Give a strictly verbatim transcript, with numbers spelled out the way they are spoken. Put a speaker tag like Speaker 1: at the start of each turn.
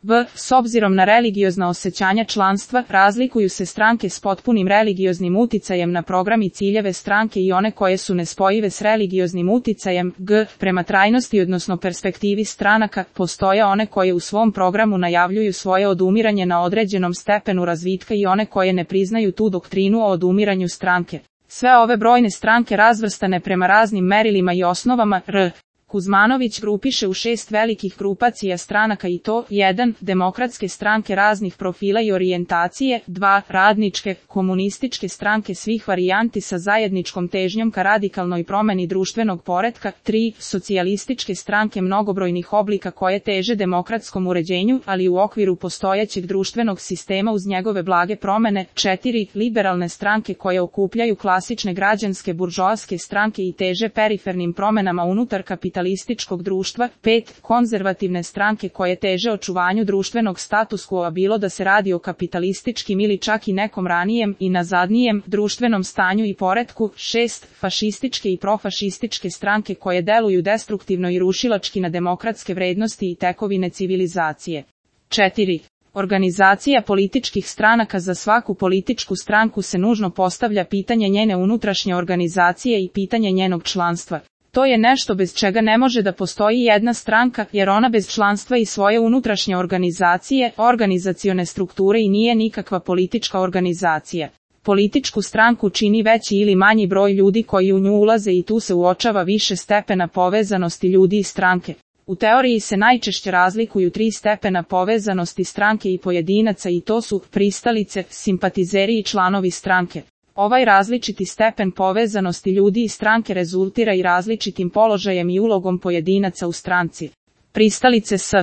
Speaker 1: V. S obzirom na religiozna osjećanja članstva, razlikuju se stranke s potpunim religioznim uticajem na program i ciljeve stranke i one koje su nespojive s religioznim uticajem. G. Prema trajnosti odnosno perspektivi stranaka, postoje one koje u svom programu najavljuju svoje odumiranje na određenom stepenu razvitka i one koje ne priznaju tu doktrinu o odumiranju stranke. Sve ove brojne stranke razvrstane prema raznim merilima i osnovama. R. Kuzmanović grupiše u šest velikih grupacija stranaka i to: jedan. Demokratske stranke raznih profila i orijentacije, dva. Radničke, komunističke stranke svih varijanti sa zajedničkom težnjom ka radikalnoj promeni društvenog poretka, tri. Socijalističke stranke mnogobrojnih oblika koje teže demokratskom uređenju, ali u okviru postojećeg društvenog sistema uz njegove blage promene, četiri. Liberalne stranke koje okupljaju klasične građanske buržoaske stranke i teže perifernim promenama unutar kapitalizma kapitalističkog društva, pet. Konzervativne stranke koje teže očuvanju društvenog status quo, bilo da se radi o kapitalističkim ili čak i nekom ranijem i nazadnijem društvenom stanju i poretku, šest. Fašističke i profašističke stranke koje deluju destruktivno i rušilački na demokratske vrednosti i tekovine civilizacije. četiri. Organizacija političkih stranaka. Za svaku političku stranku se nužno postavlja pitanje njene unutrašnje organizacije i pitanje njenog članstva. To je nešto bez čega ne može da postoji jedna stranka, jer ona bez članstva i svoje unutrašnje organizacije, organizacione strukture i nije nikakva politička organizacija. Političku stranku čini veći ili manji broj ljudi koji u nju ulaze i tu se uočava više stepena povezanosti ljudi i stranke. U teoriji se najčešće razlikuju tri stepena povezanosti stranke i pojedinaca i to su pristalice, simpatizeri i članovi stranke. Ovaj različiti stepen povezanosti ljudi i stranke rezultira i različitim položajem i ulogom pojedinaca u stranci. Pristalice s